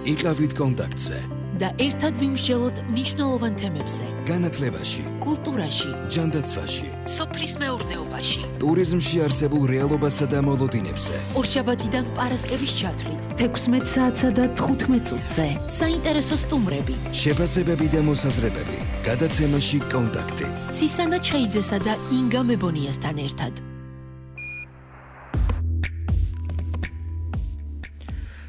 იყავით კონტაქტზე და ერთად ვიმსჯელოთ მნიშვნელოვან თემებზე. განათლებაში, კულტურაში, ჯანდაცვაში, სოფლის მეურნეობაში, ტურიზმში არსებულ რეალობასა და მოლოდინებზე. ორშაბათიდან პარასკევის ჩათვლით, 16 საათსა და 15 წუთზე. საინტერესო სტუმრები, შეფასებები და მოსაზრებები. გადაცემაში კონტაქტი. ცისანა ჩხეიძესა და ინგა მებონიასთან ერთად.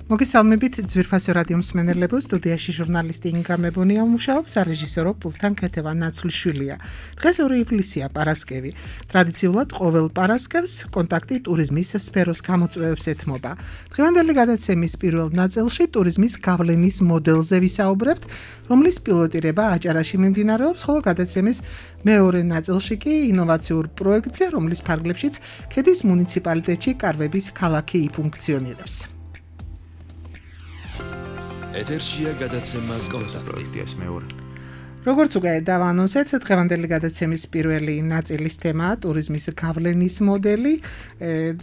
მოგესალმებით ძვირფასო რადიო მსმენელებო, სტუდიაში ჟურნალისტი ინგა მებონია მუშაობს, რეჟისორო პულთან ქეთევა ნაცვლიშვილია. დღეს 2 ივლისია, პარასკევი. ტრადიციულად ყოველ პარასკევს კონტაქტი ტურიზმის სფეროს გამოწვევებს ეთმობა. დღევანდელი გადაცემის პირველ ნაწილში ტურიზმის გავლენის მოდელზე ვისაუბრებთ, რომლის პილოტირება აჭარაში მიმდინარეობს, ხოლო გადაცემის მეორე ნაწილში კი ინოვაციურ პროექტზე, რომლის ფარგლებშიც ქედის მუნიციპალიტეტში კარვების ქალაქი იფუნქციონირებს. ეთერშია გადაცემა კონტაქტი. როგორც უკვე დავანონსეთ, დღევანდელი გადაცემის პირველი ნაწილის თემაა ტურიზმის გავლენის მოდელი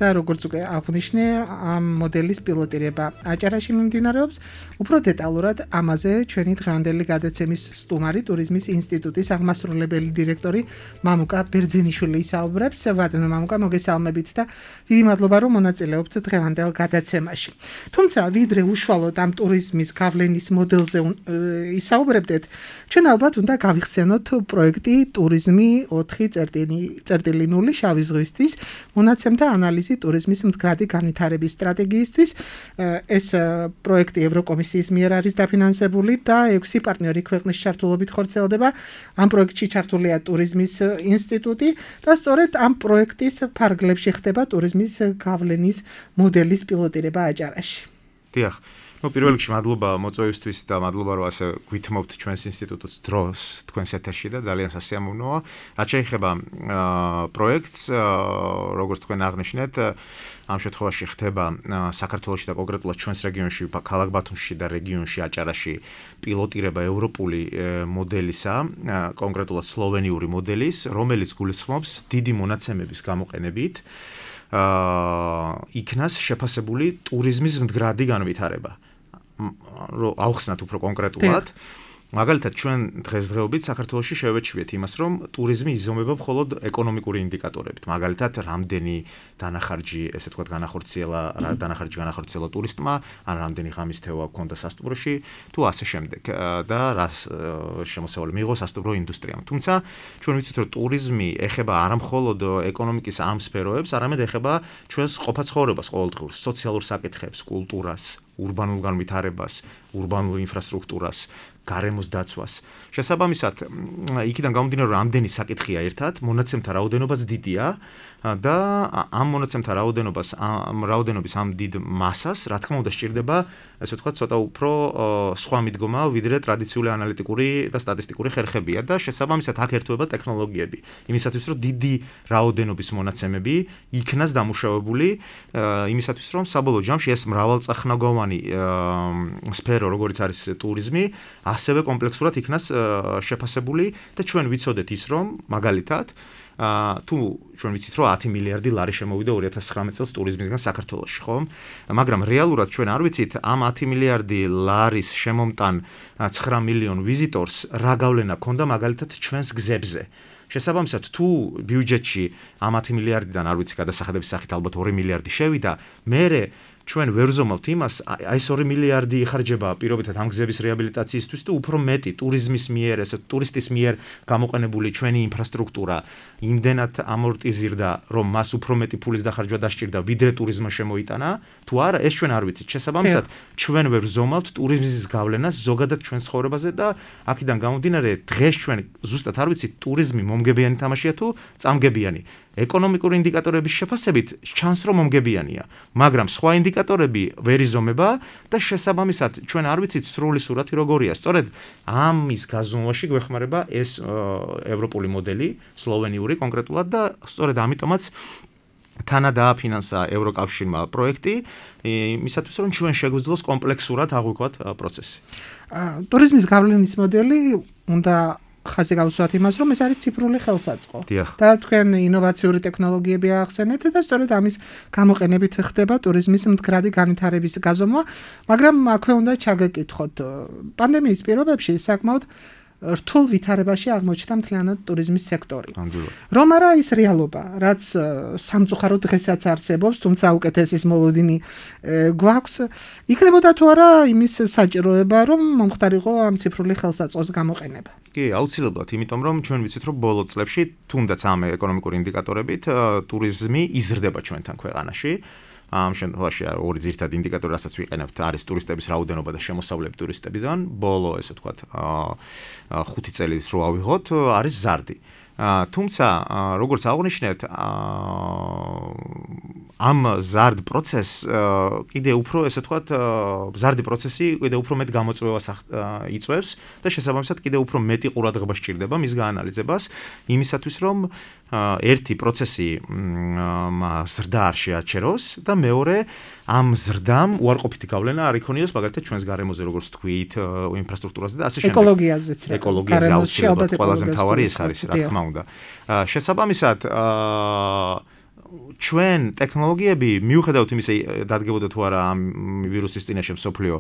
და როგორც უკვე აღვნიშნე, ამ მოდელის პილოტირება აჭარაში მიმდინარეობს. უფრო დეტალურად ამაზე ჩვენი დღევანდელი გადაცემის სტუმარი ტურიზმის ინსტიტუტის აღმასრულებელი დირექტორი მამუკა ბერძენიშვილი ისაუბრებს. ბატონო მამუკა, მოგესალმებით და დიდი მადლობა, რომ მონაწილეობთ დღევანდელ გადაცემაში. თუმცა, ვიდრე უშუალოდ ამ ტურიზმის გავლენის მოდელზე ისაუბრებდეთ, ჩვენ ალბათ უნდა გავიხსენოთ პროექტი ტურიზმი 4.0 შავი ზღვისთვის მონაცემთა ანალიზი ტურიზმის მდგრადი განვითარების სტრატეგიისთვის. ეს პროექტი ევროკომისიის მიერ არის დაფინანსებული და 6 პარტნიორი ქვეყნის ჩართულობით ხორციელდება. ამ პროექტში ჩართულია ტურიზმის ინსტიტუტი და სწორედ ამ პროექტის ფარგლებში ხდება ტურიზმის გავლენის მოდელის პილოტირება აჭარაში. დიახ. პირველ რიგში მადლობა მოწვევისთვის და მადლობა რომ ასე გვითმობთ ჩვენს ინსტიტუტს დროს თქვენს ეთერში და ძალიან სასიამოვნოა. რაც შეეხება პროექტს, როგორც თქვენ აღნიშნეთ, ამ შემთხვევაში ხდება საქართველოში და კონკრეტულად ჩვენს რეგიონში, ქალაქ ბათუმში და რეგიონში აჭარაში პილოტირება ევროპული მოდელისა, კონკრეტულად სლოვენიური მოდელის, რომელიც გულისხმობს დიდი მონაცემების გამოყენებით იქნას შეფასებული ტურიზმის მდგრადი განვითარება. ავხსნათ უფრო კონკრეტულად. მაგალითად, ჩვენ დღესდღეობით საქართველოში შევეჩვიეთ იმას, რომ ტურიზმი იზომება მხოლოდ ეკონომიკური ინდიკატორებით. მაგალითად, რამდენი დანახარჯი, ესე ვთქვათ, განახორციელა ტურისტმა, ან რამდენი ღამის თევა ჰქონდა სასტუმროში, თუ ასე შემდეგ და რა შემოსავალი მიიღო სასტუმრო ინდუსტრიამ. თუმცა, ჩვენ ვიცით, რომ ტურიზმი ეხება არა მხოლოდ ეკონომიკის ამ სფეროებს, არამედ ეხება ჩვენს ყოფაცხოვრებას ყოველდღიურ, სოციალურ საკითხებს, კულტურას, ურბანულ განვითარებას, ურბანულ ინფრასტრუქტურას, გარემოს დაცვას. შესაბამისად, იქიდან გამომდინარე, რომ ამდენი საკითხია ერთად, მონაცემთა რაოდენობაც დიდია და ამ მონაცემთა რაოდენობის ამ დიდ მასას, რა თქმა უნდა, სჭირდება, ესე ვთქვათ, ცოტა უფრო სხვა მიდგომა, ვიდრე ტრადიციული ანალიტიკური და სტატისტიკური ხერხებია და შესაბამისად აქ ერთვება ტექნოლოგიები. იმისათვის, რომ დიდი რაოდენობის მონაცემები იქნას დამუშავებული, იმისათვის, რომ საბოლოო ჯამში ეს მრავალწახნაგოვანი სფერო, როგორც არის ტურიზმი, ასევე კომპლექსურად იქნას შეფასებული და ჩვენ ვიცოდეთ ის, რომ მაგალითად თუ ჩვენ ვიცით, რომ 10 მილიარდი ლარი შემოვიდა 2019 წელს ტურიზმისგან საქართველოში, ხო? მაგრამ რეალურად ჩვენ არ ვიცით ამ 10 მილიარდი ლარის შემომტან 9 მილიონ ვიზიტორს რა გავლენა ქონდა მაგალითად ჩვენს გზებზე. შესაბამისად, თუ ბიუჯეტში ამ 10 მილიარდიდან არ ვიცი გადასახადების სახით ალბათ 2 მილიარდი შევიდა, მერე ჩვენ ვერ ვზომავთ იმას, აი ეს 2 მილიარდი იხარჯება პირობითად ამ გზების რეაბილიტაციისთვის და უფრო მეტი ტურიზმის მიერ, ესე ტურისტის მიერ გამოყენებული ჩვენი ინფრასტრუქტურა იმდენად ამორტიზირდა, რომ მას უფრო მეტი ფულის დახარჯვა დასჭირდა, ვიდრე ტურიზმმა შემოიტანა, თუ არა, ეს ჩვენ არ ვიცით. შესაბამისად, ჩვენ ვერ ვზომავთ ტურიზმის გავლენას ზოგადად ჩვენს ცხოვრებაზე და აქედან გამომდინარე, დღეს ჩვენ ზუსტად არ ვიცით ტურიზმი მომგებიანი თამაშია თუ წამგებიანი. ეკონომიკური ინდიკატორების შეფასებით ჩანს, რომ მომგებიანია, მაგრამ სხვა ინდიკატორები ვერ იზომება და შესაბამისად ჩვენ არ ვიცით სრული სურათი როგორია. სწორედ ამის გაზომვაში გვეხმარება ეს ევროპული მოდელი, სლოვენიური კონკრეტულად და სწორედ ამიტომაც თანა დააფინანსა ევროკავშირმა პროექტი, იმისათვის რომ ჩვენ შეგვიძლოს კომპლექსურად აღვიქვათ პროცესი. ტურიზმის გავლენის მოდელი უნდა ხაზი გავუსვათ იმას, რომ ეს არის ციფრული ხელსაწყო. დიახ. და თქვენ ინოვაციური ტექნოლოგიები აახსენეთ და სწორედ ამის გამოყენებით ხდება ტურიზმის მდგრადი განვითარების გაზომვა, მაგრამ აქვე უნდა ჩაგეკითხოთ, პანდემიის პირობებში საკმაოდ რთულ ვითარებაში აღმოჩნდა მთლიანად ტურიზმის სექტორი. რომ არა ის რეალობა, რაც სამწუხაროდ დღესაც არსებობს, თუმცა უკეთესის მოლოდინი გვაქვს, იქნებოდა თუ არა იმის საჭიროება, რომ მომხდარიყო ამ ციფრული ხელსაწყოს გამოყენება. კი, აუცილებლად, იმიტომ რომ ჩვენ ვიცით, რომ ბოლო წლებში, თუნდაც ამ ეკონომიკური ინდიკატორებით, ტურიზმი იზრდება ჩვენთან ქვეყანაში. ამ შემთხვევაში ორი ძირითადი ინდიკატორი, რასაც ვიყენებთ, არის ტურისტების რაოდენობა და შემოსავლები ტურისტებიდან. ბოლო, ესე ვთქვათ, 5 წელს რო ავიღოთ, არის ზარდი. თუმცა, როგორც აღნიშნეთ, ამ ზარდ პროცესს კიდე უფრო, ესე ვთქვათ, ზარდი პროცესი კიდე უფრო მეტ გამოწვევას იწვევს და შესაბამისად კიდე უფრო მეტი ყურადღება სჭირდება მის გაანალიზებას, იმისათვის რომ ერთი პროცესი ზრდა არ შეაჩეროს და მეორე ამ ზრდამ უარყოფითი გავლენა არ იქონიოს მაგალითად ჩვენს გარემოზე, როგორც თქვით, ინფრასტრუქტურაზე და ასე შემდეგ. ეკოლოგიაზეც რა. ეკოლოგიაზე აუცილებლად ყველაზე მთავარი ეს არის, რა თქმა უნდა. შესაბამისად ჩვენ ტექნოლოგიები მიუხედავად იმისა დადგებოდა თუ არა ამ ვირუსის წინაშე მსოფლიო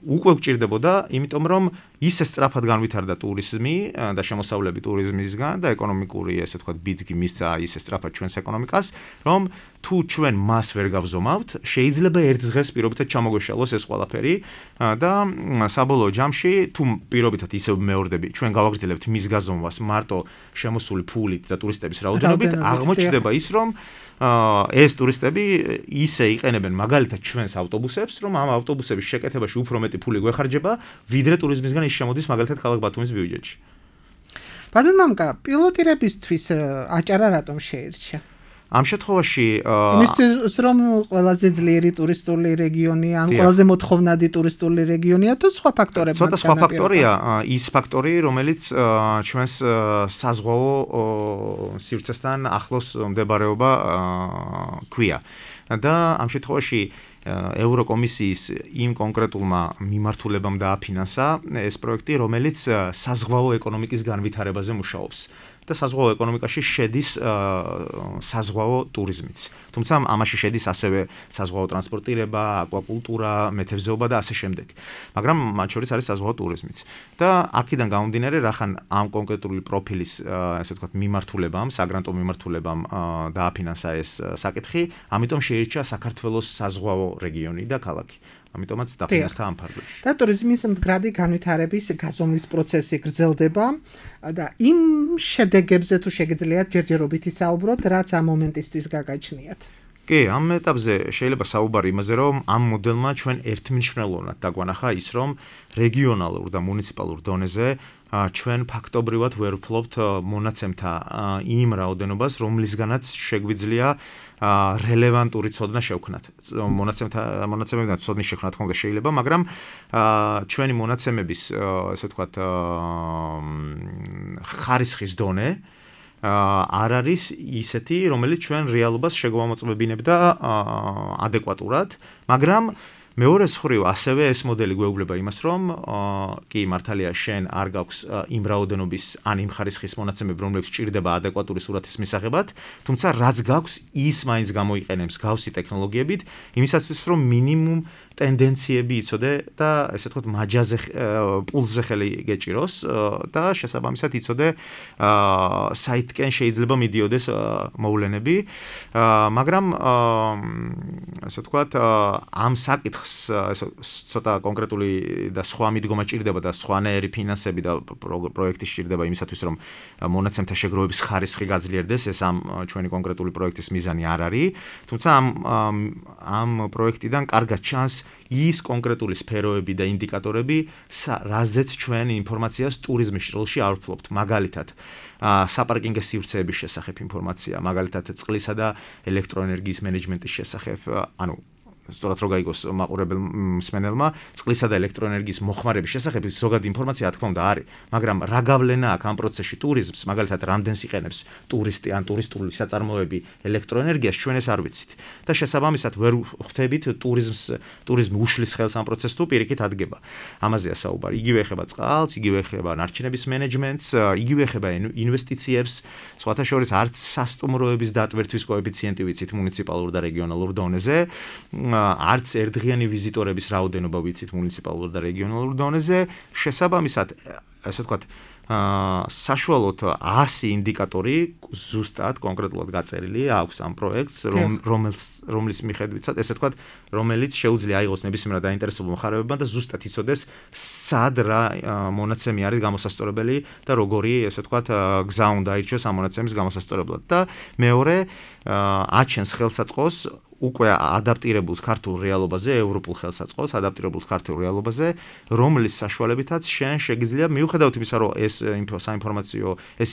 უკვე გვჭირდებოდა, იმიტომ რომ ისე სწრაფად განვითარდა ტურიზმი და შემოსავლები ტურიზმისგან და ეკონომიკური, ესე ვთქვათ, ბიძგი მისცა ისე სწრაფად ჩვენს ეკონომიკას, რომ თუ ჩვენ მას ვერ გავზომავთ, შეიძლება ერთ დღეს პირობითად ჩამოგვეშალოს ეს ყველაფერი და საბოლოო ჯამში თუ პირობითად ისევ მეორდები, ჩვენ გავაგრძელებთ მის გაზომვას მარტო შემოსული ფულით და ტურისტების რაოდენობით, აღმოჩნდება ის, რომ ეს ტურისტები ისე იყენებენ მაგალითად ჩვენს ავტობუსებს, რომ ამ ავტობუსების შეკეთებაში უფრო მეტი ფული გვეხარჯება, ვიდრე ტურიზმისგან ის შემოდის მაგალითად ქალაქ ბათუმის ბიუჯეტში. ბატონ მამკა, პილოტირებისთვის აჭარა რატომ შეირჩა? ამ შემთხვევაში იმისთვის რომ ყველაზე ძლიერი ტურისტული რეგიონია, ან ყველაზე მოთხოვნადი ტურისტული რეგიონია თუ სხვა ფაქტორებიც? ცოტა სხვა ფაქტორია, ის ფაქტორი, რომელიც ჩვენს საზღვაო სივრცესთან ახლოს მდებარეობა ქვია. და ამ შემთხვევაში ევროკომისიის იმ კონკრეტულმა მიმართულებამ დააფინანსა ეს პროექტი, რომელიც საზღვაო ეკონომიკის განვითარებაზე მუშაობს. და საზღვაო ეკონომიკაში შედის საზღვაო ტურიზმიც. თუმცა ამაში შედის ასევე საზღვაო ტრანსპორტირება, აკვაკულტურა, მეთევზეობა და ასე შემდეგ. მაგრამ მათ შორის არის საზღვაო ტურიზმიც. და აქედან გამომდინარე, რახან ამ კონკრეტული პროფილის, ესე ვთქვათ, მიმართულებამ, საგრანტო მიმართულებამ დააფინანსა ეს საკითხი, ამიტომ შეირჩა საქართველოს საზღვაო რეგიონი და ქალაქი. ამიტომაც დაფინანსდა ამ ფარგლებში. და ტურიზმის მდგრადი განვითარების გაზომვის პროცესი გრძელდება და იმ შედეგებზე თუ შეგიძლიათ ჯერჯერობით ისაუბროთ, რაც ამ მომენტისთვის გაგაჩნიათ. კი, ამ ეტაპზე შეიძლება საუბარი იმაზე, რომ ამ მოდელმა ჩვენ ერთმნიშვნელოვნად დაგვანახა ის, რომ რეგიონალურ და მუნიციპალურ დონეზე ჩვენ ფაქტობრივად ვერ ვფლობთ მონაცემთა იმ რაოდენობას, რომლისგანაც შეგვიძლია რელევანტური ცოდნა შევქნათ. მონაცემებიდან ცოდნის შექმნა თქმა უნდა შეიძლება, მაგრამ ჩვენი მონაცემების, ესე ვთქვათ, ხარისხის დონე არ არის ისეთი, რომელიც ჩვენ რეალობას შეგვამოწმებინებდა ადეკვატურად, მაგრამ მეორე მხრივ ასევე ეს მოდელი გვეუბნება იმას, რომ კი მართალია შენ არ გაქვს იმ რაოდენობის ან იმ ხარისხის მონაცემები, რომლებიც ჭირდება ადეკვატური სურათის მისაღებად, თუმცა რაც გაქვს, ის მაინც გამოიყენებს გავსი ტექნოლოგიებით, იმისათვის რომ მინიმუმ ტენდენციები იცოდე და ესე ვთქვათ მაჯაზე პულსზე ხელი გეჭიროს და შესაბამისად იცოდე საითკენ შეიძლება მიდიოდეს მოვლენები, მაგრამ ესე ვთქვათ ამ საკითხს ცოტა კონკრეტული და სხვა მიდგომა ჭირდება და სხვანაირი ფინანსები და პროექტი ჭირდება იმისათვის რომ მონაცემთა შეგროვების ხარისხი გაძლიერდეს, ეს ამ ჩვენი კონკრეტული პროექტის მიზანი არ არის, თუმცა ამ პროექტიდან კარგად ჩანს ის კონკრეტული სფეროები და ინდიკატორები, რაზეც ჩვენ ინფორმაციას ტურიზმის ჭრილში არ ვფლობთ. მაგალითად, საპარკინგო სივრცეების შესახებ ინფორმაცია, მაგალითად, წყლისა და ელექტროენერგიის მენეჯმენტის შესახებ, ანუ სწორად რო გაიგოს მაყურებელ მსმენელმა, წყლისა და ელექტროენერგიის მოხმარების შესახებ ზოგადი ინფორმაცია რა თქმა უნდა არის, მაგრამ რა გავლენა აქვს ამ პროცესში ტურიზმს, მაგალითად რამდენს იყენებს ტურისტი ან ტურისტული საწარმოები ელექტროენერგიას, ჩვენ ეს არ ვიცით. და შესაბამისად ვერ ხვდებით ტურიზმი უშლის ხელს ამ პროცესს თუ პირიქით ადგება. ამაზეა საუბარი. იგივე ეხება წყალს, იგივე ეხება ნარჩენების მენეჯმენტს, იგივე ეხება ინვესტიციებს, სხვათა შორის არც სასტუმროების დატვირთვის კოეფიციენტი ვიცით მუნიციპალურ და რეგიონალურ დონეზე, არც ერთდღიანი ვიზიტორების რაოდენობა ვიცით მუნიციპალურ და რეგიონალურ დონეზე, შესაბამისად, ასე ვთქვათ, საშუალოდ 100 ინდიკატორი ზუსტად კონკრეტულად გაწერილი აქვს ამ პროექტს, რომლის მიხედვითაც, ესე ვთქვათ, რომელიც შეუძლია აიღოს ნებისმიერ დაინტერესებულ მხარეებმა და ზუსტად იცოდეს, სად რა მონაცემი არის გამოსასწორებელი და როგორი, ესე ვთქვათ, გზა უნდა აირჩიოს ამ მონაცემის გამოსასწორებლად. და მეორე, აჩენს ხელსაწყოს უკვე ადაპტირებულს ქართულ რეალობაზე, ევროპულ ხელსაწყოს ადაპტირებულს ქართულ რეალობაზე, რომლის საშუალებითაც შენ შეგიძლია მიუხედავად იმისა, რომ ეს საინფორმაციო ეს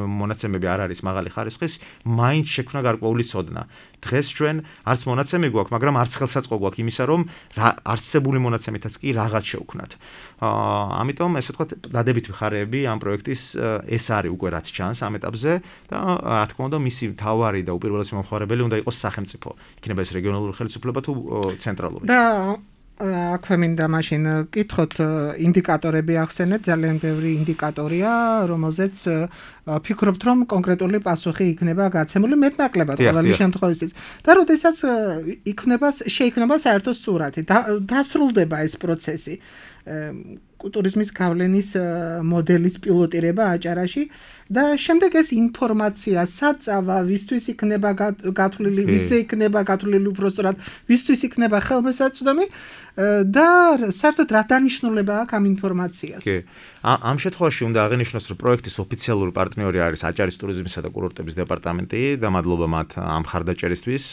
მონაცემები არ არის მაღალი ხარისხის, მაინც შექმნა გარკვეული ცოდნა. დღეს ჩვენ არც მონაცემი გვაქვს, მაგრამ არც ხელსაწყო გვაქვს იმისა, რომ არსებული მონაცემითაც კი რაღაც შევქმნათ. ამიტომ ესე ვთქვათ, დადებითი მხარეები ამ პროექტის ეს არის უკვე რაც ჩანს ამ ეტაპზე და რა თქმა უნდა, მისი მთავარი და უპირველესი მომხმარებელი უნდა იყოს სახელმწიფო. იქნება ეს რეგიონალური ხელისუფლება თუ ცენტრალური. და აქვე მინდა მაშინ კითხოთ ინდიკატორები ახსენეთ, ძალიან ბევრი ინდიკატორია, რომელზეც ფიქრობთ, რომ კონკრეტული პასუხი იქნება გაცემული მეტნაკლებად ყოველი შემთხვევისთვის. და როდესაც შეიქმნება საერთო სურათი, დასრულდება ეს პროცესი. ტურიზმის გავლენის მოდელის პილოტირება აჭარაში და შემდეგ ეს ინფორმაცია საწავა, ვისთვის იქნება გათვლილი, ვისზე იქნება გათვლილი უпростоრად, ვისთვის იქნება ხელმისაწვდომი და საერთოდ რა დანიშნულება აქვს ამ ინფორმაციას. ამ შემთხვევაში უნდა აღინიშნოს, რომ პროექტის ოფიციალური პარტნიორი არის აჭარის ტურიზმისა და კურორტების დეპარტამენტი და მადლობა მათ ამ ხარდაჭერისთვის.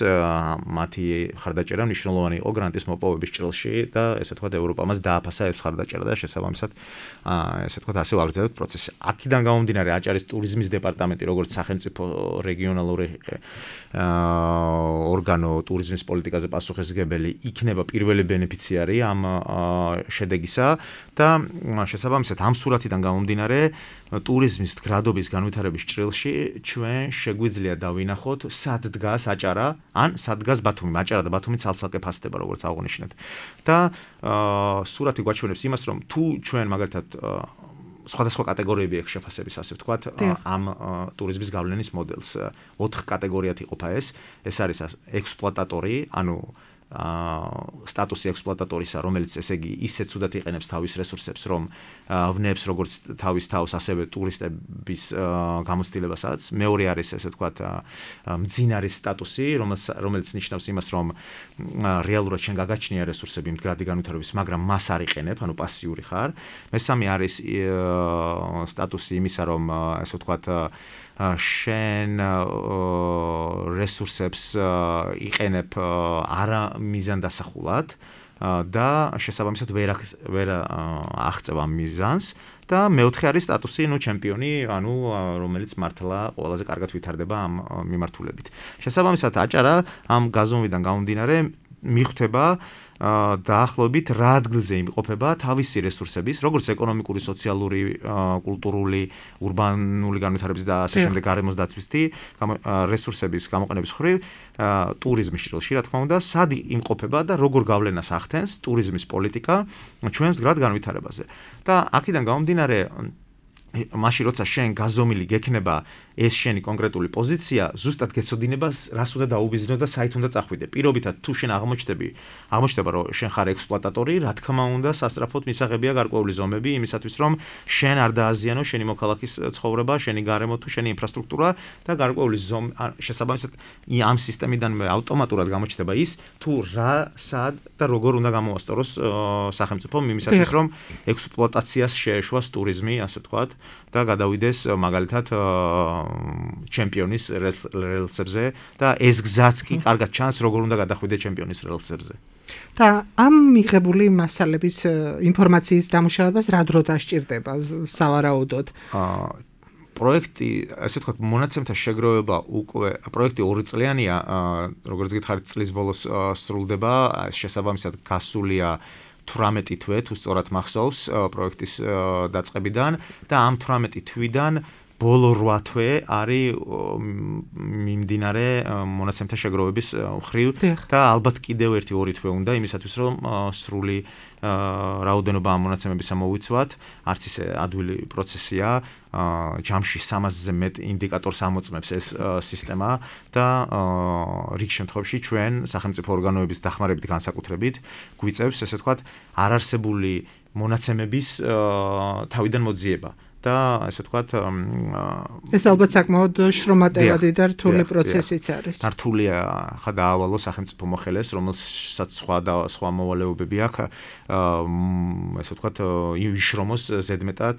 მათი ხარდაჭერა მნიშვნელოვანი იყო გრანტის მოპოვების ჭრილში და ესე ვთქვათ, ევროპა მას დააფასა ეს ხარდაჭერა და შესაბამისად ესე ვთქვათ, ასე ვაგრძელებთ პროცესს. აქედან გამომდინარე აჭარის ტურიზმის დეპარტამენტი, როგორც სახელმწიფო რეგიონალური ორგანო ტურიზმის პოლიტიკაზე პასუხისმგებელი, იქნება პირველი ბენეფიციარი ამ შედეგისა და შესაბამისად ამ სურათიდან გამომდინარე ტურიზმის გრადობის განვითარების ჭრილში ჩვენ შეგვიძლია დავინახოთ სად დგას აჭარა ან სად დგას ბათუმი. აჭარა და ბათუმი ცალ-ცალკე ფასდება, როგორც აღნიშნეთ. და სურათი გვაჩვენებს იმას, რომ თუ ჩვენ მაგალითად სხვადასხვა კატეგორიები აქვს შეფასების, ასე ვთქვათ, ამ ტურიზმის გავლენის მოდელს. 4 კატეგორიად იყოფა ეს არის ექსპლუატატორი, ანუ სტატუსი ექსპლუატატორისა, რომელიც ესე იგი ისე ცუდად იყენებს თავის რესურსებს, რომ ვნებს როგორც თავის თავს, ასევე ტურისტების გამოცდილებასაც. მეორე არის ესე ვთქვათ, მძინარის სტატუსი, რომელიც ნიშნავს იმას, რომ რეალურად შენ გაგაჩნია რესურსები მდგრადი განვითარების, მაგრამ მას არ იყენებ, ანუ პასიური ხარ. მესამე არის სტატუსი იმისა, რომ ესე ვთქვათ, შენ რესურსებს იყენებ არა მიზანდასახულად და შესაბამისად ვერ აღწევ ამ მიზანს და მეოთხე არის სტატუსი, ჩემპიონი, ანუ რომელიც მართლა ყველაზე კარგად ვითარდება ამ მიმართულებით. შესაბამისად აჭარა ამ გაზომვიდან გამომდინარე მიხვდება დაახლოებით რა ადგილზე იმყოფება თავისი რესურსების, როგორც ეკონომიკური, სოციალური, კულტურული, ურბანული განვითარების და ასე შემდეგ გარემოს დაცვისთი რესურსების გამოყენების მხრივ ტურიზმის ჭრილში, რა თქმა უნდა, სად იმყოფება და როგორ გავლენას ახდენს ტურიზმის პოლიტიკა ჩვენს მდგრად განვითარებაზე. და აქედან გამომდინარე მაშინ როცა შენ გაზომილი გექნება ეს შენი კონკრეტული პოზიცია, ზუსტად გეცოდინება რას უნდა დაუბიზნო და საით უნდა წახვიდე. პირობითად თუ შენ აღმოჩნდება, რომ შენ ხარ ექსპლუატატორი, რა თქმა უნდა, სასწრაფოდ მისაღებია გარკვეული ზომები იმისათვის, რომ შენ არ დააზიანო შენი მოქალაქის ცხოვრება, შენი გარემო თუ შენი ინფრასტრუქტურა და გარკვეული შესაბამისად ამ სისტემიდან ავტომატურად გამოჩნდება ის, თუ რა, სად და როგორ უნდა გამოასწოროს სახელმწიფომ იმისათვის, რომ ექსპლუატაციას შეეშვას ტურიზმი, ასე ვთქვათ, და გადავიდეს მაგალითად ჩემპიონის რელსებზე და ეს გზაც კი კარგად ჩანს, როგორ უნდა გადახვიდე ჩემპიონის რელსებზე. და ამ მიღებული მასალების ინფორმაციის დამუშავებას რა დრო დასჭირდება სავარაუდოდ? პროექტი, ასე ვთქვათ, მონაცემთა შეგროვება უკვე პროექტი 2 წლიანია, როგორც გითხარით, წლის ბოლოს სრულდება, შესაბამისად გასულია 18 თვე, თუ სწორად მახსოვს, პროექტის დაწყებიდან და ამ 18 თვიდან ბოლო 8 თვე არის მიმდინარე მონაცემთა შეგროვების მხრივ და ალბათ კიდევ 1-2 თვე უნდა იმისათვის რომ სრული რაოდენობა ამ მონაცემების ამოვიცვათ, არც ისე ადვილი პროცესია, ჯამში 300-ზე მეტ ინდიკატორს ამოწმებს ეს სისტემა და რიგ შემთხვევაში ჩვენ სახელმწიფო ორგანოების დახმარებით განსაკუთრებით გვიწევს, ესე ვთქვათ, არარსებული მონაცემების თავიდან მოძიება. და ასე ვთქვათ ეს ალბათ საკმაოდ შრომატევადი და რთული პროცესიც არის. რთულია ხა დაავალო სახელმწიფო მოხელეს, რომელსაც სხვა მოვალეობები აქვს, ასე ვთქვათ, იშრომოს ზედმეტად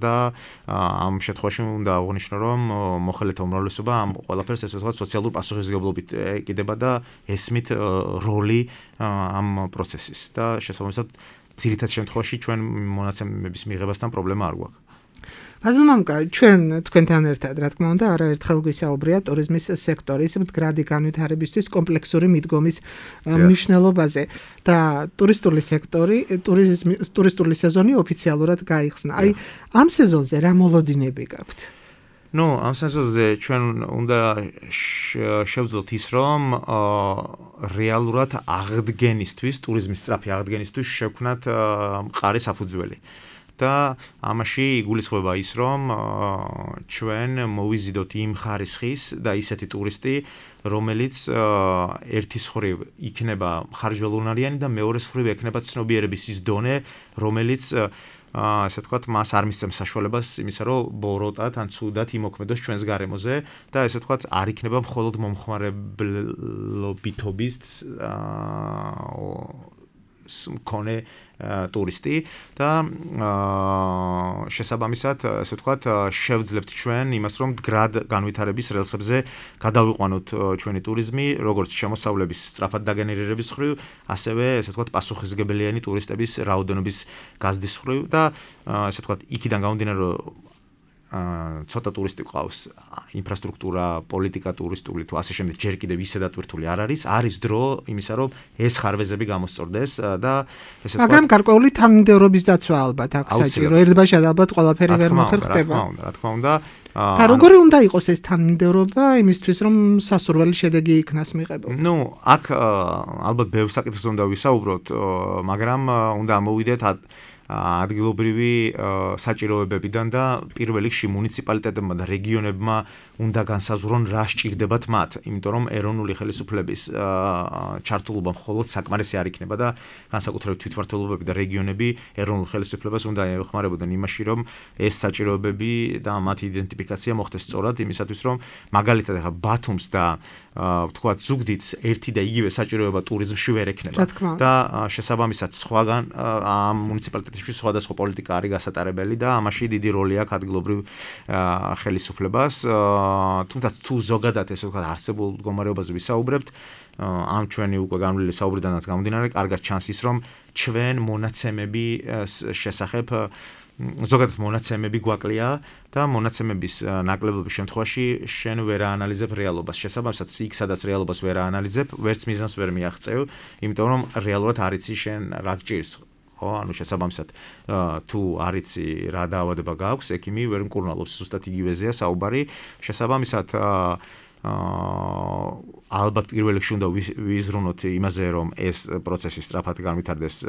და ამ შემთხვევაში უნდა აღვნიშნო, რომ მოხელეთა უმრავლესობა ამ ყველაფერს ასე ვთქვათ სოციალურ პასუხისმგებლობით ეკიდება და ესმით როლი ამ პროცესის და შესაბამისად ძირითად შემთხვევაში ჩვენ მონაცემების მიღებასთან პრობლემა არ გვაქვს. ბატონო მამუკა, ჩვენ თქვენთან ერთად, რა თქმა უნდა, არაერთხელ გვისაუბრია ტურიზმის სექტორის მდგრადი განვითარებისთვის კომპლექსური მიდგომის მნიშვნელობაზე და ტურისტული სექტორი, ტურისტული სეზონი ოფიციალურად გაიხსნა. აი, ამ სეზონზე რა მოლოდინები გაქვთ? ამ სეზონზე ჩვენ უნდა შევძლოთ ის, რომ რეალურად აღდგენისთვის, ტურიზმის სწრაფი აღდგენისთვის შევქმნათ მყარი საფუძველი. და ამაში იგულისხმება ის, რომ ჩვენ მოვიზიდოთ იმ ხარისხის და ისეთი ტურისტი, რომელიც ერთის მხრივ იქნება ხარჯვალუნარიანი და მეორეს მხრივ ექნება ცნობიერების ის დონე, რომელიც ასე ვთქვათ, მას არ მისცემს საშუალებას იმისა, რომ ბოროტად ან ცუდად იმოქმედოს ჩვენს გარემოზე და ასე ვთქვათ, არ იქნება მხოლოდ მომხმარებლობითობის მქონე ტურისტი და შესაბამისად, ასე ვთქვათ, შევძლებთ ჩვენ იმას, რომ მდგრად განვითარების რელსებზე გადავიყვანოთ ჩვენი ტურიზმი, როგორც შემოსავლების სწრაფად დაგენერირების მხრივ, ასევე, ასე ვთქვათ, პასუხისმგებელიანი ტურისტების რაოდენობის გაზრდის მხრივ და ასე ვთქვათ, იქიდან გამომდინარე, რომ ცოტა ტურისტი ყავს, ინფრასტრუქტურა, პოლიტიკა ტურისტული თუ ასე შემდეგ ჯერ კიდევ ისედაც ვირთული არ არის დრო იმისა, რომ ეს ხარვეზები გამოსწორდეს და ესე ვთქვათ, მაგრამ გარკვეული თანმიმდევრობის დაცვა ალბათ აქვს საჭირო. ერთბაშად ალბათ ყველაფერი ვერ მოხერხდება. რა თქმა უნდა. და როგორი უნდა იყოს ეს თანმიმდევრობა იმისთვის, რომ სასურველი შედეგი იქნას მიღებული? აქ ალბათ ბევრ საკითხზე უნდა ვისაუბროთ, მაგრამ უნდა ამოვიდეთ ადგილობრივი საჭიროებებიდან და პირველ რიგში მუნიციპალიტეტებმა და რეგიონებმა უნდა განსაზღვრონ რა სჭირდებათ მათ, იმიტომ რომ ეროვნული ხელისუფლების ჩართულობა მხოლოდ საკმარისი არ იქნება და განსაკუთრებით თვითმმართველობები და რეგიონები ეროვნულ ხელისუფლებას უნდა ეხმარებოდნენ იმაში, რომ ეს საჭიროებები და მათი იდენტიფიკაცია მოხდეს სწორად, იმისათვის რომ მაგალითად ახლა ბათუმს და ვთქვათ ზუგდიდს ერთი და იგივე საჭიროება ტურიზმში ვერ ექნება და შესაბამისად სხვაგან ამ მუნიციპალიტეტებში სხვადასხვა პოლიტიკა არის გასატარებელი და ამაში დიდი როლი აქვს ადგილობრივ ხელისუფლებას. თუმცა თუ ზოგადად ესე ვთქვათ არსებულ მდგომარეობაზე ვისაუბრებთ, ამ ჩვენი უკვე განვლილი საუბრიდანაც გამომდინარე, კარგად ჩანს ის, რომ ჩვენ მონაცემები შესახებ ზოგადად მონაცემები გვაკლია და მონაცემების ნაკლებობის შემთხვევაში შენ ვერ აანალიზებ რეალობას. შესაბამისად, იქ სადაც რეალობას ვერ აანალიზებ, ვერც მიზანს ვერ მიაღწევ, იმიტომ რომ რეალურად არ იცი შენ რა გჭირს. ანუ შესაბამისად, თუ არ იცი რა დაავადება გაქვს, ექიმი ვერ მკურნალობს, ზუსტად იგივეზეა საუბარი. შესაბამისად, ალბათ პირველ რიგში უნდა ვიზრუნოთ იმაზე, რომ ეს პროცესი სწრაფად განვითარდეს,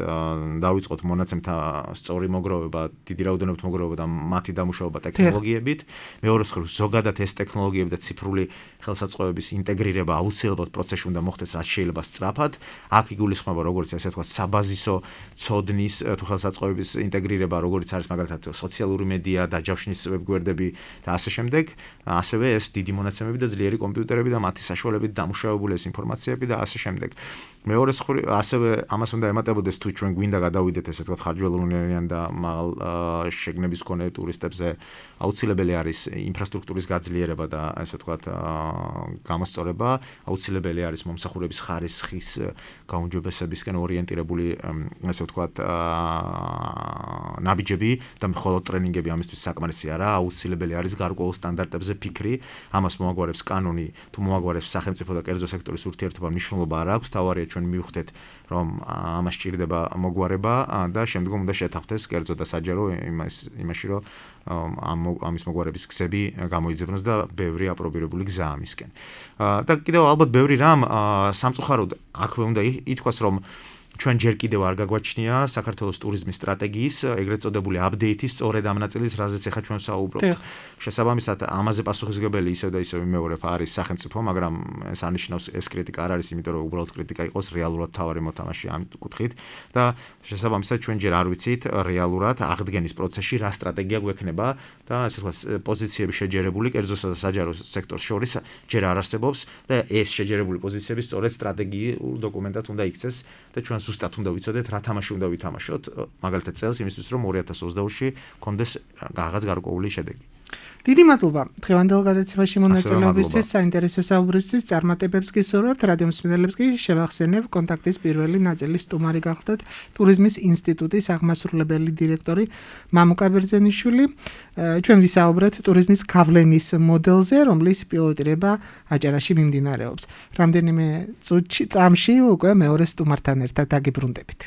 დავიწყოთ მონაცემთა სწორი მოგროვება, დიდი რაოდენობით მოგროვება და მათი დამუშავება ტექნოლოგიებით. მეორე მხრივ, ზოგადად ეს ტექნოლოგიები და ციფრული ხელსაწყოების ინტეგრირება აუცილებლად პროცესში უნდა მოხდეს, რაც შეიძლება სწრაფად. აქ იგულისხმება როგორც ესე ვთქვათ, საბაზისო ცოდნის თუ ხელსაწყოების ინტეგრირება, როგორც არის მაგალითად სოციალური მედია, დაჯავშნის ვებგვერდები და ასე შემდეგ, ასევე ეს დიდი მონაცემები და ძლიერი კომპიუტერები და მათი საშუალებებით დამუშავებული ეს ინფორმაციები და ასე შემდეგ. მეორე ასევე ამას უნდა ემატებოდეს თუ ჩვენ გვინდა გადავიდეთ ესე ვთქვათ ხარჯველოვნიან და მაღალ შეგნების მქონე ტურისტებზე აუცილებელი არის ინფრასტრუქტურის გაძლიერება და ესე ვთქვათ გამოსწორება, აუცილებელი არის მომსახურების ხარისხის გაუმჯობესებისკენ ორიენტირებული ესე ვთქვათ ნაბიჯები და მხოლოდ ტრენინგები ამისთვის საკმარისი არა, აუცილებელი არის გარკვეულ სტანდარტებზე ფიქრი, ამას მოაგვარებს კანონი, თუ მოაგვარებს სახელმწიფო და კერძო სექტორის ურთიერთობა მნიშვნელობა არ აქვს, თავარია ჩვენ მივხვდეთ რომ ამას ჭირდება მოგვარება და შემდგომ უნდა შეთანხმდეს კერძო და საჯარო იმაში რომ ამის მოგვარების გზები გამოიძებნოს და ბევრი აპრობირებული გზა ამისკენ. და კიდევ ალბათ ბევრი რამ სამწუხაროდ აქვე უნდა ითქვას რომ ჩვენ ჯერ კიდევ არ გაგვაჩნია საქართველოს ტურიზმის სტრატეგიის ეგრეთ წოდებული აპდეიტის სწორედ ამ ნაწილის, რაზეც ახლა ჩვენ საუბრობთ. შესაბამისად, ამაზე პასუხისმგებელი ისევ და ისევ იმეორებ არის სახელმწიფო, მაგრამ ეს არნიშნავს ეს კრიტიკა არ არის, იმიტომ რომ უბრალოდ კრიტიკა იყოს რეალურად თავარი მოთამაშე ამ კუთხით და შესაბამისად ჩვენ ჯერ არ ვიცით რეალურად აღდგენის პროცესში რა სტრატეგია გვექნება და ასე ვთქვათ პოზიციები შეჯერებული კერძოსა და საჯარო სექტორს შორის ჯერ არ არსებობს და ეს შეჯერებული პოზიციები სწორედ სტრატეგიულ დოკუმენტად უნდა იქცეს და ჩვენ ზუსტად უნდა ვიცოდეთ რა თამაში უნდა ვითამაშოთ მაგალითად წელს იმისთვის რომ 2022-ში გქონდეს რაღაც გარკვეული შედეგი. დიდი მადლობა დღევანდელ გადაცემაში მონაწილეობისთვის, საინტერესო საუბრისთვის, წარმატებებს გისურვებთ, რადიო მსმენელებს კი შევახსენებ კონტაქტის პირველი ნაწილის სტუმარი გახლდათ ტურიზმის ინსტიტუტის აღმასრულებელი დირექტორი მამუკა ბერძენიშვილი. ჩვენ ვისაუბრეთ ტურიზმის გავლენის მოდელზე, რომლის პილოტირება აჭარაში მიმდინარეობს. რამდენიმე წამში უკვე მეორე სტუმართან ერთად დაგიბრუნდებით.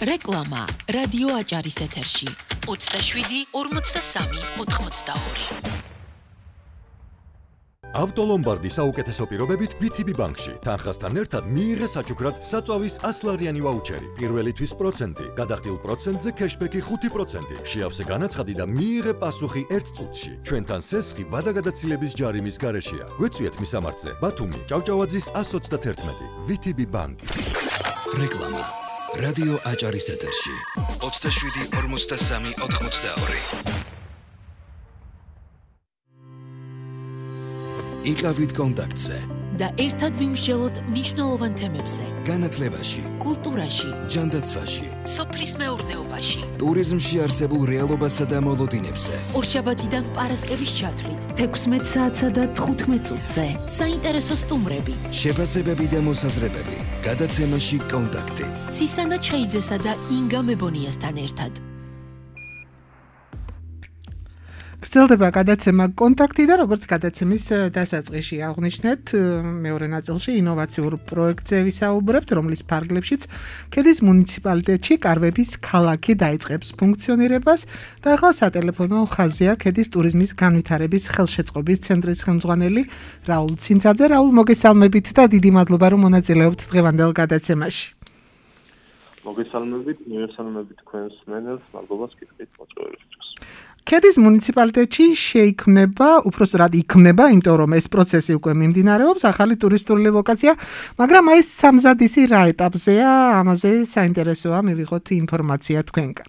რეკლამა რადიო აჭარის ეთერში 27 43 82. ავტოლომბარდი საუკეთესო პირობებით VTB ბანკში. თანხასთან ერთად მიიღე საჩუქრად საწვავის 100 ლარიანი ვაუჩერი. პირველი თვის პროცენტი, გადახდილ პროცენტზე кэშბექი 5%. შეავსე განაცხადი და მიიღე პასუხი 1 წუთში. ჩვენთან სესხი ვადაგადაცილების ჯარიმის გარეშეა. გვეწვიეთ მისამართზე. ბათუმი, ჭავჭავაძის 131. VTB ბანკი. რეკლამა რადიო აჭარის ეთერში 27 43 82. იყავით კონტაქტზე და ერთად ვიმსჯელოთ მნიშვნელოვან თემებზე. განათლებაში, კულტურაში, ჯანდაცვაში, სოფლის მეურნეობაში, ტურიზმში არსებულ რეალობასა და მოლოდინებზე. ორშაბათიდან პარასკევის ჩათვლით, 16 საათსა და 15 წუთზე. საინტერესო სტუმრები, შეფასებები და მოსაზრებები. გადაცემაში კონტაქტი. ცისანა ჩხეიძესა და ინგა მებონიასთან ერთად. გრძელდება გადაცემა კონტაქტი და როგორც გადაცემის დასაწყისში აღნიშნეთ, მეორე ნაწილში ინოვაციურ პროექტზე ვისაუბრებთ, რომლის ფარგლებშიც ქედის მუნიციპალიტეტში კარვების ქალაქი დაიწყებს ფუნქციონირებას და ახლა სატელეფონო ხაზია ქედის ტურიზმის განვითარების ხელშეწყობის ცენტრის ხელმძღვანელი რაულ ცინცაძე. რაულ, მოგესალმებით და დიდი მადლობა რომ მონაწილეობთ დღევანდელ გადაცემაში. მოგესალმებით, მივესალმებით თქვენს მსმენელს, მადლობა კითხვით მოწვევისთვის. ქედის მუნიციპალიტეტში შეიქმნება, უпростоრად იქმნება, იმიტომ რომ ეს პროცესი უკვე მიმდინარეობს, ახალი ტურისტული ლოკაცია, მაგრამ აი სამზადისი რა ეტაპზეა, ამაზე საინტერესოა მივიღოთ ინფორმაცია თქვენგან.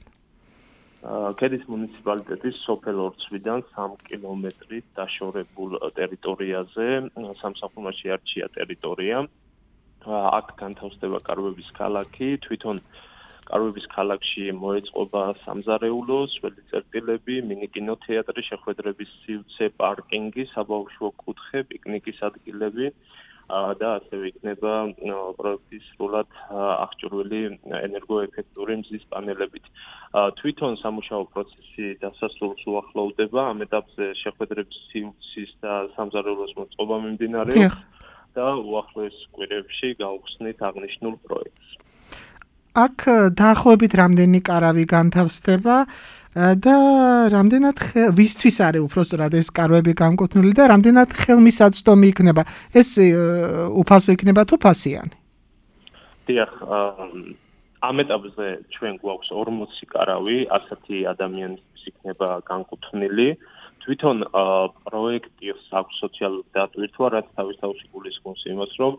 ქედის მუნიციპალიტეტის სოფელ ორცვიდან 3 კილომეტრით დაშორებულ ტერიტორიაზე სამსახურმაში არჩია ტერიტორია. აქ განთავსდება კარვების ქალაქი, თვითონ კარვების ქალაქში მოეწყობა სამზარეულო, სველი წერტილები, მინიკინოთეატრი, შეხვედრების სივრცე, პარკინგი, საბავშვო კუთხე, პიკნიკის ადგილები და ასევე იქნება პროექტის სრულად აღჭურვილი ენერგოეფექტური მზის პანელებით. თვითონ სამუშაო პროცესი დასასრულს უახლოვდება, ამ ეტაპზე შეხვედრების სივრცის და სამზარეულოს მოწყობა მიმდინარეობს და უახლოეს კვირებში გავხსნით აღნიშნულ პროექტს. აქ დაახლოებით რამდენი კარავი განთავსდება და რამდენად ვისთვის არის უпростоრად ეს კარვები განკუთვნილი და რამდენად ხელმისაწვდომი იქნება? ეს უფასო იქნება თუ ფასიანი? დიახ, ამ ეტაპზე ჩვენ გვაქვს 40 კარავი, 100 ადამიანისთვის იქნება განკუთვნილი. თვითონ პროექტს აქვს სოციალური დატვირთვა, რაც თავისთავად გულისხმობს იმას, რომ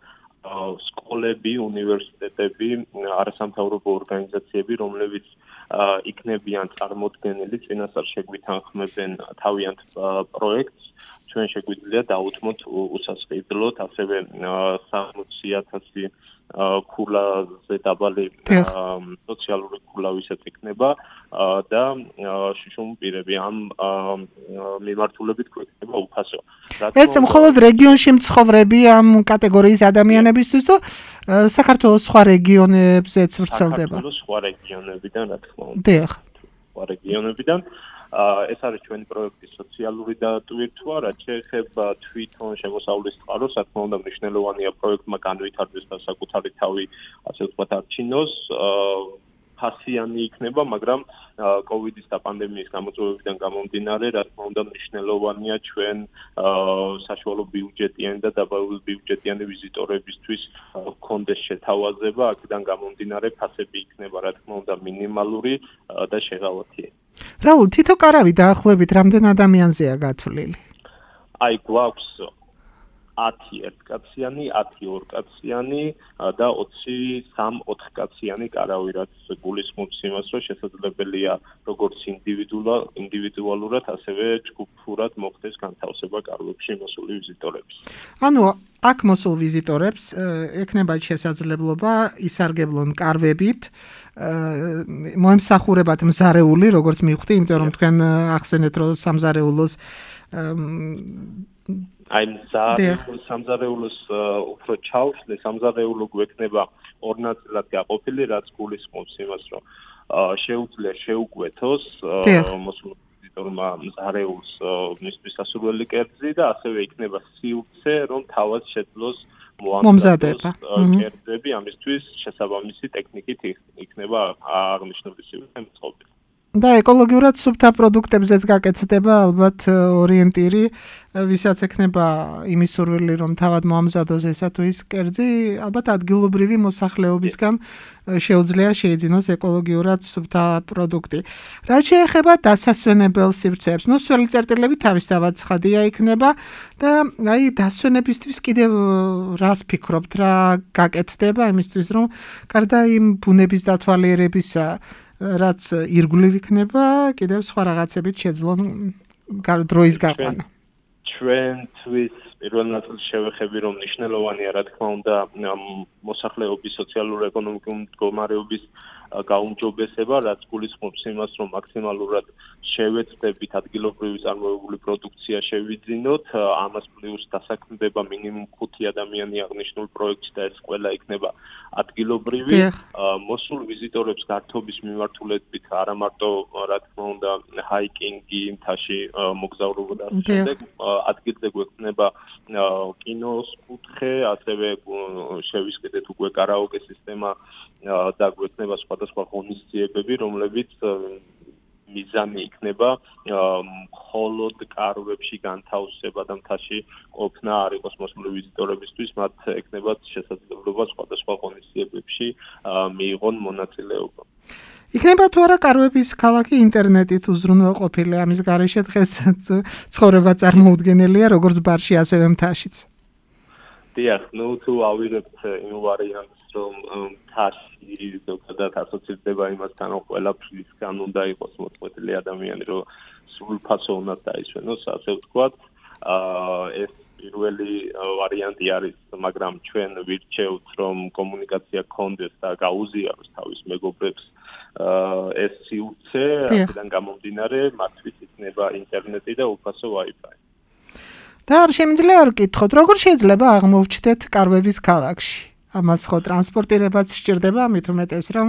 სკოლები, უნივერსიტეტები, არასამთავრობო ორგანიზაციები, რომლებიც იქნებიან წარმოდგენილი, წინასწარ შეგვითანხმებენ თავიანთ პროექტს, ჩვენ შეგვიძლია დაუთმოთ უსასყიდლოდ ასევე 60,000 ქულაზე დაბალი სოციალური ქულავისად იქნება და შუშუმ პირები ამ მიმართულებით გვექნება უფასო. ეს მხოლოდ რეგიონში მცხოვრები ამ კატეგორიის ადამიანებისთვის თუ საქართველოს სხვა რეგიონებზეც ვრცელდება? საქართველოს სხვა რეგიონებიდან, რა თქმა უნდა. დიახ. სხვა რეგიონებიდან ეს არის ჩვენი პროექტის სოციალური დატვირთვა, რაც შეეხება თვითონ შემოსავლის წყაროს, რა თქმა უნდა, მნიშვნელოვანია პროექტმა განვითარდეს და საკუთარი თავი, ასე ვთქვათ, არჩინოს. ფასიანი იქნება, მაგრამ კოვიდის და პანდემიის გამოწვევებიდან გამომდინარე, რა თქმა უნდა, მნიშვნელოვანია ჩვენ საშუალო ბიუჯეტიანი და დაბალ ბიუჯეტიანი ვიზიტორებისთვის გქონდეს შეთავაზება, აქედან გამომდინარე ფასები იქნება, რა თქმა უნდა, მინიმალური და შეღავათიანი. რაულ, თითო კარავი დაახლოებით რამდენ ადამიანზეა გათვლილი? აი, გვაქვს 10 ერთკაციანი, 10 ორკაციანი და 23-4 კაციანი კარავი, რაც გულისხმობს იმას, რომ შესაძლებელია როგორც ინდივიდუალურად, ასევე ჯგუფურად მოხდეს განთავსება კარავებში მოსული ვიზიტორების. ანუ აქ მოსულ ვიზიტორებს ექნებათ შესაძლებლობა ისარგებლონ კარვებით, მოემსახურებათ მზარეული, როგორც მივხვდი, იმიტომ რომ თქვენ ახსენეთ, რომ სამზარეულოს აი სამზარეულოს უფრო ჩავშლე, სამზარეულო გვექნება ორ ნაწილად გაყოფილი, რაც გულისხმობს იმას, რომ შეუძლია შეუკვეთოს მოსულ ვიზიტორმა მზარეულს მისთვის სასურველი კერძი და ასევე იქნება სივრცე, რომ თავად შეძლოს მომზადება კერძები, ამისთვის შესაბამისი ტექნიკით იქნება აღნიშნული სივრცე მოწყობილი. და ეკოლოგიურად სუფთა პროდუქტებზეც გაკეთდება ალბათ ორიენტირი, ვისაც ექნება იმის სურვილი, რომ თავად მოამზადოს ესა თუ ის კერძი, ალბათ ადგილობრივი მოსახლეობისგან შეუძლია შეიძინოს ეკოლოგიურად სუფთა პროდუქტი. რაც შეეხება დასასვენებელ სივრცეებს, ნუ სველი წერტილები თავისთავად ცხადია იქნება და აი დასვენებისთვის კიდევ რას ფიქრობთ, რა გაკეთდება იმისთვის, რომ გარდა იმ ბუნების დათვალიერებისა რაც ირგვლივ იქნება, კიდევ სხვა რაღაცებით შეძლონ დროის გაყვანა. ჩვენთვის პირველ ნაწილში შევეხები, რომ მნიშვნელოვანია, რა თქმა უნდა, მოსახლეობის სოციალურ-ეკონომიკური მდგომარეობის გაუმჯობესება, რაც გულისხმობს იმას, რომ მაქსიმალურად შევეცდებით ადგილობრივი წარმოებული პროდუქცია შევიძინოთ, ამას პლუს დასაქმდება მინიმუმ 5 ადამიანი აღნიშნულ პროექტში და ეს ყველა იქნება ადგილობრივი. მოსულ ვიზიტორებს გართობის მიმართულებით არა მარტო, რა თქმა უნდა, ჰაიკინგი, მთაში მოგზაურობა და ამ შემდეგ ადგილზე გვექნება კინოს კუთხე, ასევე შევისყიდეთ უკვე კარაოკე სისტემა და გვექნება სხვადასხვა ღონისძიებები, რომლებიც მიზანი იქნება მხოლოდ კარვებში განთავსება და მთაში ყოფნა არ იყოს მოსული ვიზიტორებისთვის, მათ ექნებათ შესაძლებლობა სხვადასხვა ღონისძიებებში მიიღონ მონაწილეობა. იქნება თუ არა კარვების ქალაქი ინტერნეტით უზრუნველყოფილი, ამის გარეშე დღეს ცხოვრება წარმოუდგენელია, როგორც ბარში, ასევე მთაშიც. დიახ, ნუ თუ ავიღებთ იმ ვარიანტს, რომ მთაში ზოგადად ასოცირდება იმასთან, რომ ყველაფრისგან უნდა იყოს მოწყვეტილი ადამიანი, რომ სრულფასო უნდა დაისვენოს, ასე ვთქვათ, ეს პირველი ვარიანტი არის, მაგრამ ჩვენ ვირჩევთ, რომ კომუნიკაცია გქონდეს და გაუზიაროს თავის მეგობრებს ეს სივრცე, აქედან გამომდინარე, მათთვის იქნება ინტერნეტი და უფასო Wi-Fi. და არ შემიძლია არ გითხოთ, როგორ შეიძლება აღმოვჩნდეთ კარვების ქალაქში? ამას ხო ტრანსპორტირებაც სჭირდება, მით უმეტეს რომ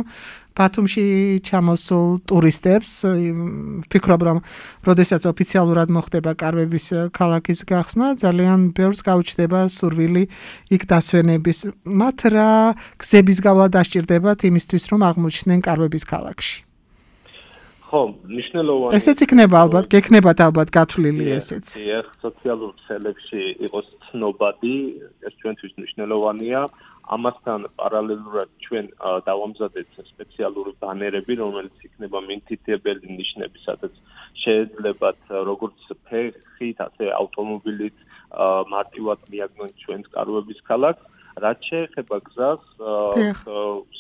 ბათუმში ჩამოსულ ტურისტებს ვფიქრობ, რომ როდესაც ოფიციალურად მოხდება კარვების ქალაქის გახსნა, ძალიან ბევრს გაუჩნდება სურვილი იქ დასვენების. მათ რა გზების გავლა დასჭირდებათ იმისთვის, რომ აღმოჩნდნენ კარვების ქალაქში? ხო, მნიშვნელოვანი. ესეც იქნება ალბათ, გექნებათ ალბათ გათვლილი ესეც. დიახ, სოციალურ ქსელებში იყოს ცნობადი, ეს ჩვენთვის მნიშვნელოვანია. ამასთან პარალელურად ჩვენ დავამზადეთ სპეციალური ბანერები, რომელიც იქნება მიმდინებელი ნიშნები, სადაც შეეძლებათ როგორც ფეხით, ასე ავტომობილით მარტივად მიაგნონ ჩვენს კარვების ქალაქს. რაც შეეხება გზას,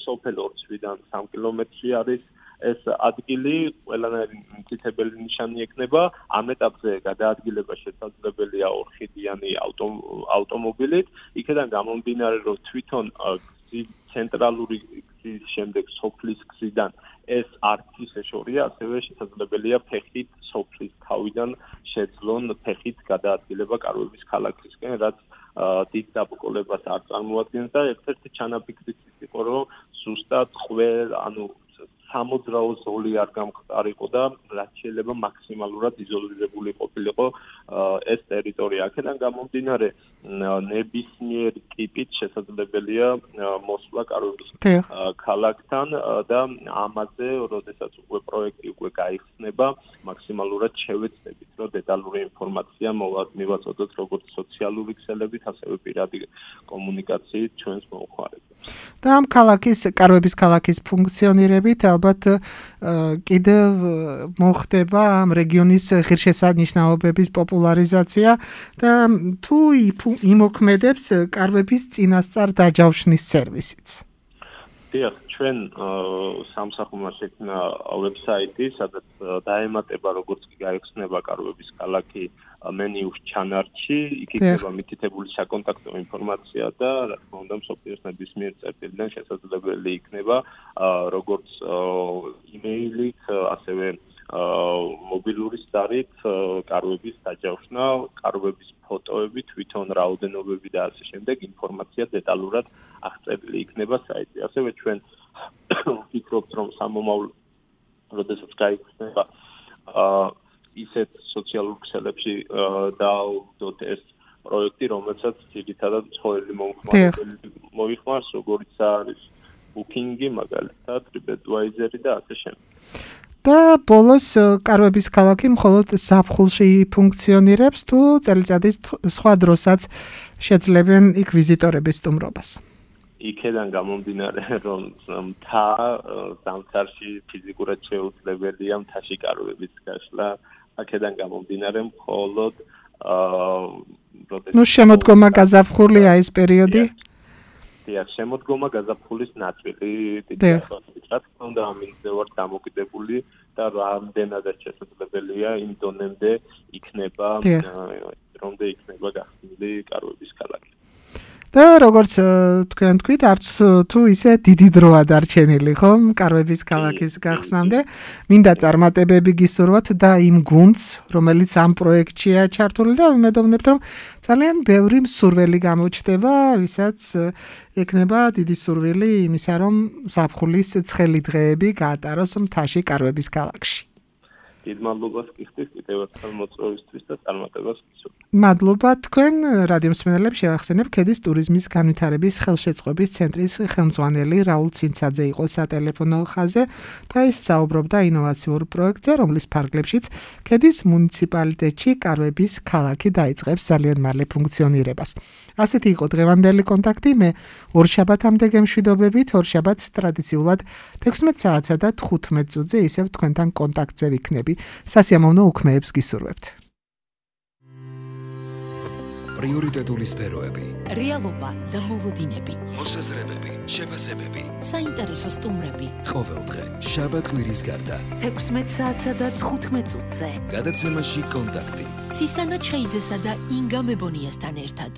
სოფელ ორცვიდან 3 კილომეტრი არის ეს ადგილი ყველანაირი მითითებელი ნიშანი ექნება. ამ ეტაპზე გადაადგილება შესაძლებელია 4 ხიდიანი ავტომობილით. იქედან გამომდინარე, რომ თვითონ ცენტრალური გზის შემდეგ სოფლის გზიდან ეს არც ისე შორია, ასევე შესაძლებელია ფეხით სოფლის თავიდან შეძლონ ფეხით გადაადგილება კარვების ქალაქისკენ, რაც დიდ დაბრკოლებას არ წარმოადგენს და ერთ-ერთი ჩანაფიქრიც იყო, რომ ზუსტად სამოძრაო ზოლი არ გამყარიყო და რაც შეიძლება მაქსიმალურად იზოლირებული ყოფილიყო ეს ტერიტორია. აქედან გამომდინარე, ნებისმიერი ტიპით შესაძლებელია მოსვლა კარვების ქალაქთან და ამაზე, როდესაც უკვე პროექტი უკვე გაიხსნება, მაქსიმალურად შევეცდებით, რომ დეტალური ინფორმაცია მივაწოდოთ როგორც სოციალური ქსელებით, ასევე პირადი კომუნიკაციით ჩვენს მომხმარებლებს. და ამ კარვების ქალაქის ფუნქციონირებით ალბათ კიდევ მოხდება ამ რეგიონის ღირსშესანიშნაობების პოპულარიზაცია და თუ იმოქმედებს კარვების წინასწარ დაჯავშნის სერვისიც. დიახ, ჩვენ სამსახურმა შექმნა ვებსაიტი, სადაც დაემატება როგორც კი გაიხსნება კარვების ქალაქი მენიუს ჩანართში, იქ იქნება მითითებული საკონტაქტო ინფორმაცია და რა თქმა უნდა მსოფლიოს ნებისმიერ წერტილიდან შესაძლებელი იქნება როგორც იმეილით, ასევე მობილური სტარით კარვების დაჯავშნა, კარვების ფოტოები, თვითონ რაოდენობები და ასე შემდეგ ინფორმაცია დეტალურად აღწერილი იქნება საიტზე. ასევე ჩვენ ვფიქრობთ, რომ სამომავლო როდესაც გაიხსნება ისეთ სოციალურ ქსელებში დაავდოთ ეს პროექტი, რომელსაც ძირითადად ცხოველი მომხმარებელი მოიხმარს, როგორიც არის Booking-ი, მაგალითად, TripAdvisor და ასე შემდეგ. და ბოლოს კარვების ქალაქი მხოლოდ ზაფხულში ფუნქციონირებს, თუ წელიწადის სხვა დროსაც შეძლებენ იქ ვიზიტორების სტუმრობას. იქედან გამომდინარე, რომ მთა ზამთარში ფიზიკურად შეუძლებელია მთაში კარვების გაშლა, აქედან გამომდინარე მხოლოდ შემოდგომა გაზაფხულია ეს პერიოდი? დიახ, შემოდგომა გაზაფხულის ნაწილი დიდი ახალით, რა თქმა უნდა, ამინზე ვარ დამოკიდებული და რამდენადაც შესაძლებელია იმ დონემდე იქნება გახსნილი კარვების ქალაქი. და როგორც თქვენ თქვით, არც თუ ისე დიდი დროა დარჩენილი, ხომ, კარვების ქალაქის გახსნამდე, მინდა წარმატებები გისურვოთ და იმ გუნდს, რომელიც ამ პროექტშია ჩართული და ვიმედოვნებთ, რომ ძალიან ბევრი მსურველი გამოჩნდება, ვისაც ექნება დიდი სურვილი იმისა, რომ ზაფხულის ცხელი დღეები გაატაროს მთაში კარვების ქალაქში. დიდ მადლობას გიხდით კიდევ ერთხელ მოწვევისთვის და წარმატებას გისურვებთ. მადლობა თქვენ რადიო მსმენელებს შევახსენებ, ქედის ტურიზმის განვითარების ხელშეწყობის ცენტრის ხელმძღვანელი რაულ ცინცაძე იყო სატელეფონო ხაზზე და ის საუბრობდა ინოვაციურ პროექტზე, რომლის ფარგლებშიც ქედის მუნიციპალიტეტში კარვების ქალაქი დაიწყებს ძალიან მალე ფუნქციონირებას. ასეთი იყო დღევანდელი კონტაქტი, მე ორშაბათამდე გემშვიდობებით, ორშაბათს ტრადიციულად 16 საათსა და 15 წუთზე ისევ თქვენთან კონტაქტზე ვიქნები. სასიამოვნო უქმეებს გისურვებთ. პრიორიტეტული სფეროები, რეალობა და მოლოდინები, მოსაზრებები, შეფასებები, საინტერესო სტუმრები. ყოველდღე შაბათ-კვირის გარდა 16 საათსა და 15 წუთზე გადაცემაში კონტაქტი. ცისანა ჩხეიძესა და ინგა მებონიასთან ერთად.